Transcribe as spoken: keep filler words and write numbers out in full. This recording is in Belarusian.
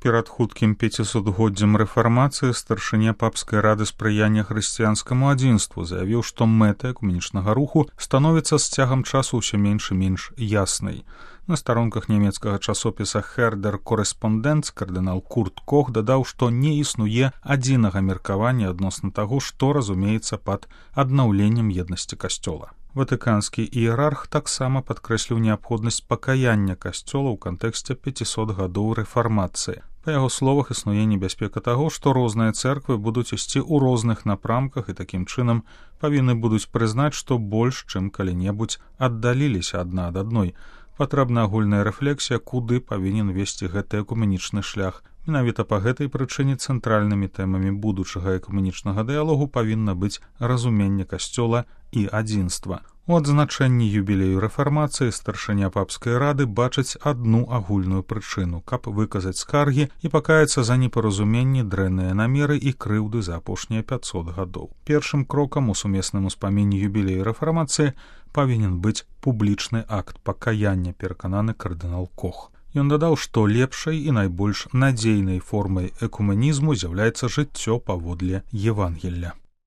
Перад хуткім пяцісотгоддзям рэфармацыі старшыня папскай рады спрыяння хрысціянскаму адзінству заявіў, што мэта экуменічнага руху становіцца з цягам часу ўсё менш і менш яснай. На старонках нямецкага часопіса «Хердер Корреспонденц» кардынал Курт Кох дадаў, што не існуе адзінага меркавання адносна таго, што разумеецца пад аднаўленнем еднасці касцёла. Ватыканскі іерарх таксама падкрэсліў неабходнасць пакаяння касцёла ў кантэксце пяцісот гадоў рэфармацыі. Па яго словах, існуе небяспека таго, што розныя цэрквы будуць ісці ў розных напрамках і такім чынам павінны будуць прызнаць, што больш, чым калі-небудзь аддаліліся адна ад адной. Патрэбна агульная рэфлексія, куды павінен весці гэты экуменічны шлях. Менавіта па гэтай прычыне цэнтральнымі тэмамі будучага экуменічнага дыялогу павінна быць разуменне касцёла і адзінства. У адзначэнні юбілею рэфармацыі старшыня папскай рады бачыць адну агульную прычыну, каб выказаць скаргі і пакаяцца за непаразуменні, дрэнныя намеры і крыўды за апошнія пяцьсот гадоў. Першым крокам у сумесным успамінні юбілею рэфармацыі павінен быць публічны акт пакаяння, перакананы кардынал Кох. Ён дадаў, што лепшай і найбольш надзейнай формай экуменізму з'яўляецца жыццё паводле Евангелля.